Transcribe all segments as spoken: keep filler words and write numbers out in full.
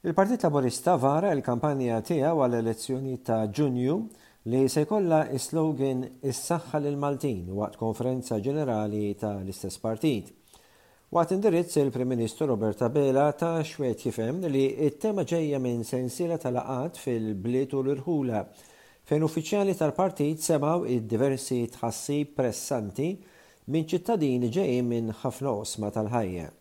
Il-Partit Laburista vara l-kampanja tiegħu għall-elezzjoni ta' Ġunju li se jkollha is-slogan "Is-saħħa lil Maltin" waqt konferenza ġenerali tal-istess partit. Waqt indirizz, il-Prim Ministru Robert Abela ta xwed jifhem li t-tema ġejja minn sensiela ta' laqgħat fil-bliet u l-irħula fejn uffiċjali tal-partit semgħu id-diversi tħassib pressanti minn ċittadini ġejjin minn ħafna oqsma tal-ħajja.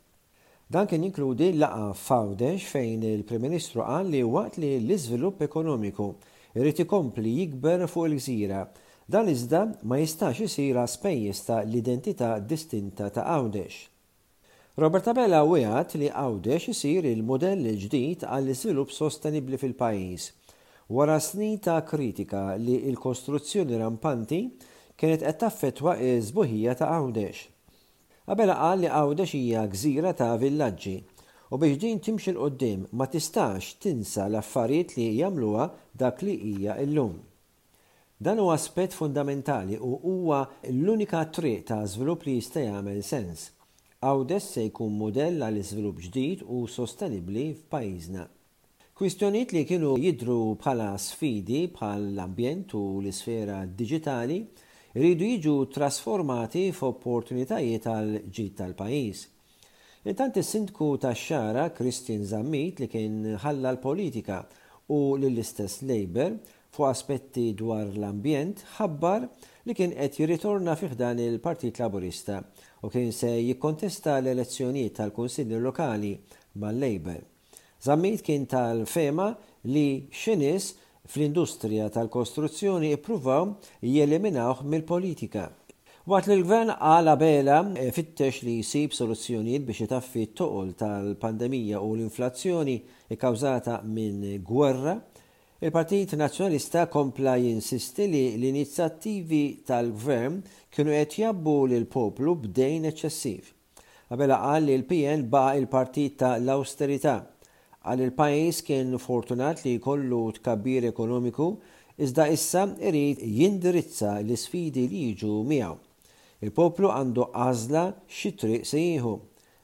Dan kien jinkludi laqgħa f'Għawdex fejn il-Prim Ministru qal li waqt li l-iżvilupp ekonomiku irid ikompli jikber fuq il-gżira, dan iżda ma jistax isir spejjeż ta' l-identità distinta ta' Għawdex. Robert Abela wiegħed li Għawdex isir il-modell il-ġdid għall-iżvilupp sostenibbli fil-pajjiż, wara snin ta' kritika li l-kostruzzjoni rampanti kienet qed taffettwa ż-sbuħija ta' Għawdex. Abela qal li Għawdex hija gżira ta' villaġġi u biex din timxi 'l quddiem ma tistax tinsa l-affarijiet li jagħmluha dak li hija llum. Dan huwa aspett fundamentali u huwa l-unika triq ta' żvilupp li jista' jagħmel sens. Għawdex se jkun modell għal iżvilupp ġdid u sostenibbli f'pajjiżna. Kwistjonijiet li kienu jidru bħala sfidi, bħal l-ambjent u l-isfera diġitali, iridu jiġu trasformati f'opportunitajiet għal ġid tal-pajjiż. Intant, is-sindku tax-Xagħra Christian Zammit, li kien ħalla l-politika u lill-istess Labour fuq aspetti dwar l-ambjent, ħabbar li kien qed jirritorna fi ħdan il-Partit Laburista u kien se jikkontesta l-elezzjonijiet tal-Kunsilli Lokali mal-Labour. Zammit kien tal-fehma li xi nies fl-industrija tal-kostruzzjoni ippruvaw jeliminawh mill-politika. Waqt li l-gvern, qal Abela, fittex li jsib soluzzjonijiet biex itaffi t-toqol tal-pandemija u l-inflazzjoni ikkawżata minn gwerra, il-Partit Nazzjonalista kompla jinsisti li l-inizjattivi tal-gvern kienu qed jgħabbu lil poplu b'dejn eċċessiv. Abela qal li l-P N baqa' il-partit ta' l-austerità. Qal il-pajjiż kien fortunat li jkollu tkabbir ekonomiku, iżda issa irid jindirizza l-isfidi li jiġu miegħu. Il-poplu għandu għażla xi triq se jieħu.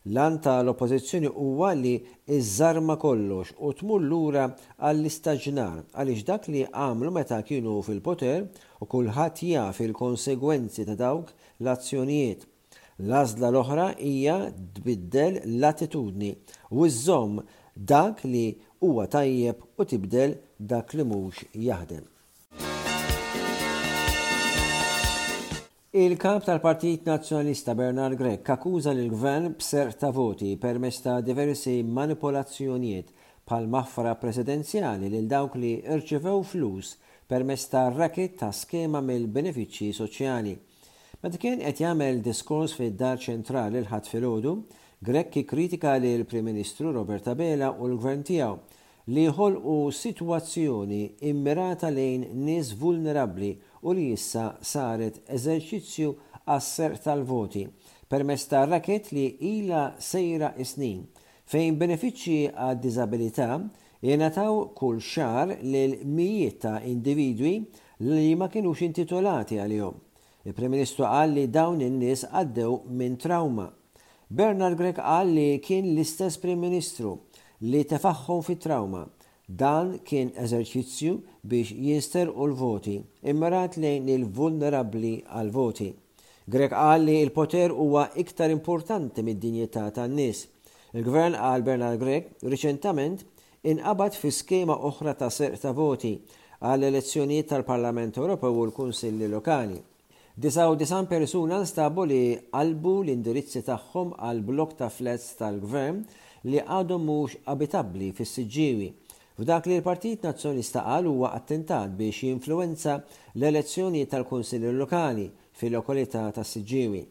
L-għan tal-oppożizzjoni huwa li iżżarma kollox u tmur lura għall-istaġnar, għaliex dak li għamlu meta kienu fil-poter u kulħadd jaf il-konsegwenzi ta' dawk l-azzjonijiet. L-għażla l-oħra hija tbiddel l-attitudni u iżżomm dak li huwa tajjeb u tibdel dak li mhux jaħdem. Il-kap tal-Partit Nazzjonalista Bernard Grech akkuża lill-gvern b'serq ta' voti permezz ta' diversi manipolazzjonijiet bħal maħfra presidenzjali lil dawk li rċevew flus permezz ta' racket ta' skema mill-benefiċċji soċjali. Meta kien qed jagħmel diskors fid-Dar Ċentrali l-Ħadd filgħodu, Grech kritika lil Prim Ministru Robert Abela u l-gvern tiegħu li ħolqu sitwazzjoni immirata lejn nies vulnerabbli u li issa saret eżerċizzju għas-serq tal-voti permezz ta' racket li ila sejra snin, fejn benefiċċji għad-diżabilità jingħataw kull xahar lil mijiet ta' individwi li ma kienux intitolati għalihom. Il-Prim Ministru qal li dawn in-nies għaddew minn trauma. Bernard Grech qal li kien l-istess Prim Ministru li tefagħhom fit trauma. Dan kien eżerċizzju biex jinsterqu l-voti, immirat lejn il-vulnerabbli għal-voti. Grech qal li il-poter huwa iktar importanti mid-dinjità tan-nies. Il-gvern, qal Bernard Grech, riċentament inqabad fi skema oħra ta' serq ta' voti għall elezzjonijiet tal-Parlament Ewropew u l-Kunsilli Lokali. Disgħa u disgħin persuna nstabu li qalbu l-indirizzi tagħhom għal blok ta' flats tal-gvern li għadhom mhux abitabbli fis-Siġġiewi, f'dak li l-Partit Nazzjonalista qal huwa attentat biex jinfluwenza l-elezzjoni tal-Kunsilli Lokali fil-lokalità tas-Siġġiewi.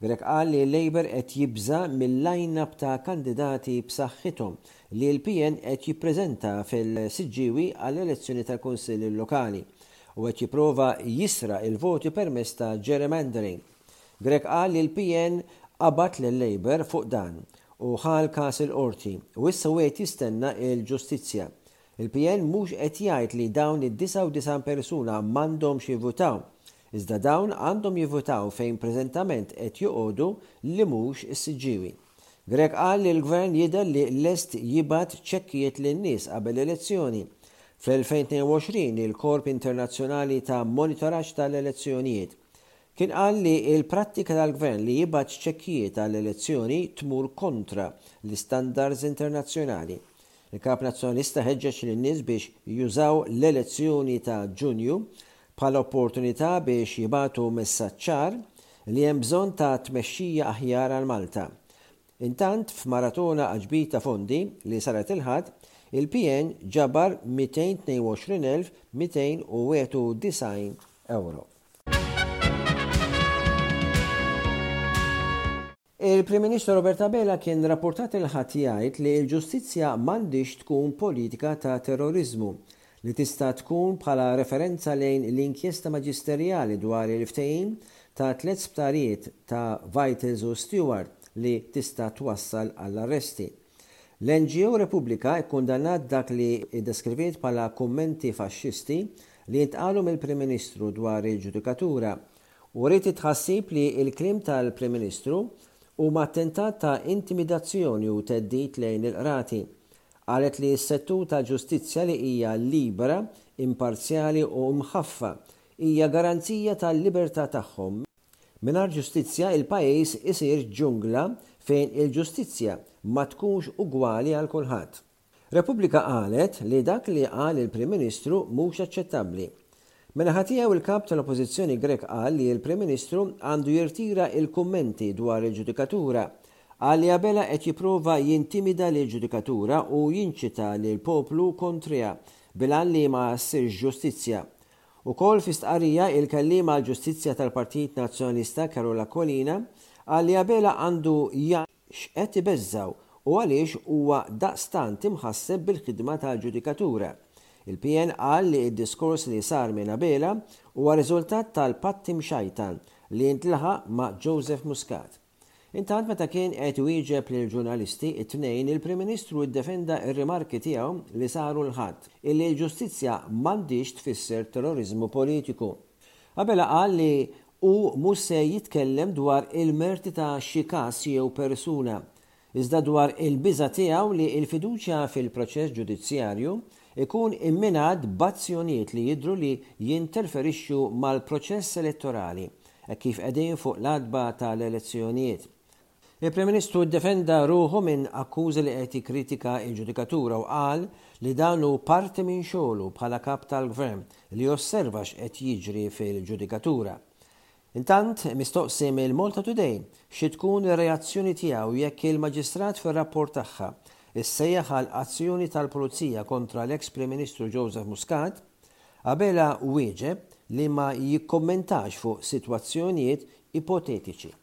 Grech qal li l-Labour qed jibża mill-line-up ta' kandidati b'saħħithom li l-P N qed jippreżenta fil-Siġġiewi għall-elezzjoni tal-Kunsilli Lokali u qed jipprova jisraq il-voti permezz ta' gerrymandering. Grech qal li l-P N qabad lil Labour fuq dan u ħa l-kas il-qorti u issa wieħed jistenna il-ġustizzja. Il-P N mhux qed jgħid li dawn id-disgħa u disgħin persuna m'għandhomx jivvutaw, iżda dawn għandhom jivvutaw fejn preżentament qed joqogħdu, li mhux is-Siġġiewi. Grech qal li l-gvern jidher li lest jibgħat ċekkijiet lin-nies qabel l-elezzjoni. Fl-elfejn tnejn u għoxrin il-Korp Internazzjonali ta' Monitoraġġ tal-Elezzjonijiet kien qal li l-prattika tal-gvern li jibgħat ċekkijiet għall-elezzjoni tmur kontra l-istandards internazzjonali. Il-Kap Nazzjonalista ħeġġeġ lin-nies biex jużaw l-elezzjoni ta' Ġunju bħala opportunità biex jibagħtu messaġġ ċar li hemm bżonn ta' tmexxija aħjar għal Malta. Intant, f'maratona għal ġbir ta' fondi li saret il-Ħadd, il-P N ġabar mitejn tnejn u għoxrin elf mitejn u wieħed u disgħin euro. Il-Prim Ministru Robert Abela kien rapportat il-Ħadd jgħid li l-ġustizzja m'għandix tkun politika ta' terrorizmu li tista' tkun bħala referenza lejn l-inkjesta maġisterjali dwar il-ftehim ta' tliet sptarijiet ta' Vitals u Steward li tista' twassal għall-arresti. L-N G O Repubblika kkundannat dak li iddeskriviet bħala kummenti faxxisti li jintqalu mill-Prim Ministru dwar il-ġudikatura u rrid itħassib li l-kliem tal-Prim Ministru huma attentat ta' intimidazzjoni u theddid lejn il-qrati. Qalet li s-settur tal-ġustizzja li hija libera, imparzjali u mħaffa hija garanzija tal-libertà tagħhom. Mingħajr ġustizzja il-pajjiż isir ġungla fejn il-ġustizzja ma tkunx ugwali għal kulħadd. Repubblika qalet li dak li qal il-Prim Ministru mhux aċċettabbli. Min-naħa tiegħu il-kap tal-Oppożizzjoni Grech qal li l-Prim Ministru għandu jirtira il-kummenti dwar il-ġudikatura. Qal li Abela qed jipprova jintimida lill-ġudikatura u jinċita lill-poplu kontriha bil-għan li ma ssirx ġustizzja. Ukoll fi stqarrija il-kelliem għall-ġustizzja tal-Partit Nazzjonalista Karol Aquilina qal li Abela għandu jgħid x'qed ibeżżaw u għaliex huwa daqstant imħasseb bil-ħidma tal-ġudikatura. Il-P N qal li d-diskors li sar minn Abela huwa riżultat tal-patti mxajtan li jintlaħaq ma' Joseph Muscat. Intant meta kien qed iwieġeb lill-ġurnalisti it-tnejn, il-Prim Ministru ddefenda r-rimarki tiegħu li saru l-Ħadd illi l-ġustizzja m'għandix tfisser terrorizmu politiku. Abela qal li hu mhux se jitkellem dwar il-merti ta' xi każ jew persuna, iżda dwar il-biża' tiegħu li l-fiduċja fil-proċess ġudizzjarju ikun imminat b'azzjonijiet li jidhru li jinterferixxu mal-proċess elettorali hekk kif qegħdin fuq l-għatba tal-elezzjonijiet. Il-Prim Ministru ddefenda ruħu minn akkużi li qed jikkritika l-ġudikatura u qal li dan hu parti minn xogħlu bħala kap tal-gvern li josserva x'qed jiġri fil-ġudikatura. Intant, mistoqsi mill-Malta Today xi tkun ir-reazzjoni tiegħu jekk il-maġistrat fir-rapport tagħha issejjaħ għal azzjoni tal-Pulizija kontra l-eks Prim Ministru Joseph Muscat, Abela wieġeb li ma jikkommentax fuq sitwazzjonijiet ipotetiċi.